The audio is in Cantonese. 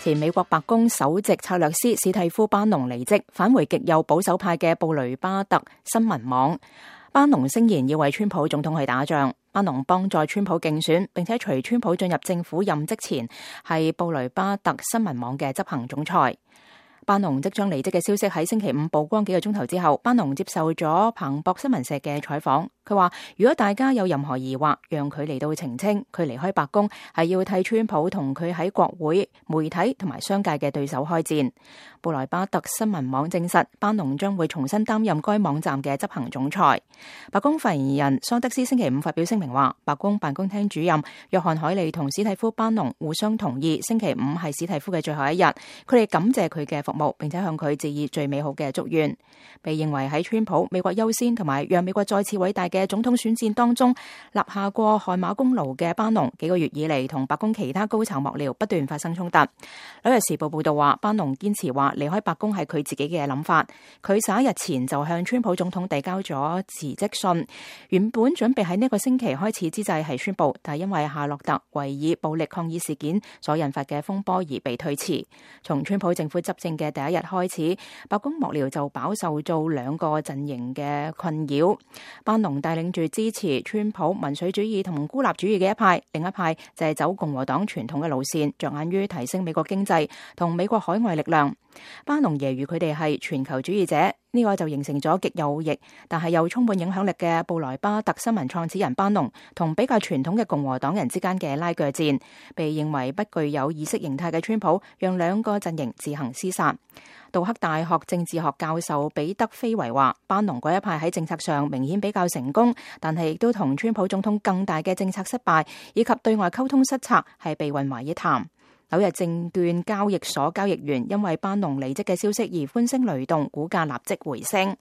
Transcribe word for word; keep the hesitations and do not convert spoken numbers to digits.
前美國白宮首席策略師史蒂夫·班農離職，返回極右保守派嘅布雷巴特新聞網。班農聲言要為川普總統去打仗。班農幫助川普競選，並且隨川普進入政府任職前，係布雷巴特新聞網嘅執行總裁。班農即將離職嘅消息喺星期五曝光幾個鐘頭之後，班農接受咗彭博新聞社嘅採訪。佢話：如果大家有任何疑惑，讓佢嚟到澄清。佢離開白宮係要替川普同佢喺國會、媒體同埋商界嘅對手開戰。布萊巴特新聞網證實，班農將會重新擔任該網站嘅執行總裁。白宮發言人桑德斯星期五發表聲明話，白宮辦公廳主任約翰海利同史蒂夫·班農互相同意，星期五係史蒂夫嘅最後一日。佢哋感謝佢嘅服務，並且向佢致以最美好嘅祝願。被認為喺川普美國優先同埋讓美國再次偉大嘅總統選戰當中立下過汗馬功勞嘅班農，幾個月以嚟同白宮其他高層幕僚不斷發生衝突。紐約時報報道話，班農堅持話離開白宮係佢自己嘅諗法。佢十一日前就向川普總統遞交咗辭職信，原本準備喺呢個星期開始之際係宣布，但係因為夏洛特維爾暴力抗議事件所引發嘅風波而被推遲。從川普政府執政嘅第一日開始，白宮幕僚就飽受到兩個陣營嘅困擾。班農帶領住支持川普民粹主義同孤立主義嘅一派，另一派就係走共和黨傳統嘅路線，着眼於提升美國經濟同美國海外力量。班農揶揄佢哋係全球主義者，呢、這個就形成咗極右翼但係又充滿影響力嘅布萊巴特新聞創始人班農同比較傳統嘅共和黨人之間嘅拉鋸戰。被認為不具有意識形態嘅川普，讓兩個陣營自行廝殺。杜克大學政治學教授彼得菲維話，班農嗰一派喺政策上明顯比較成功，但係亦都同川普總統更大嘅政策失敗以及對外溝通失策係被混為一談。紐約證券交易所交易員因為班農離職嘅消息而歡聲雷動，股價立即回升。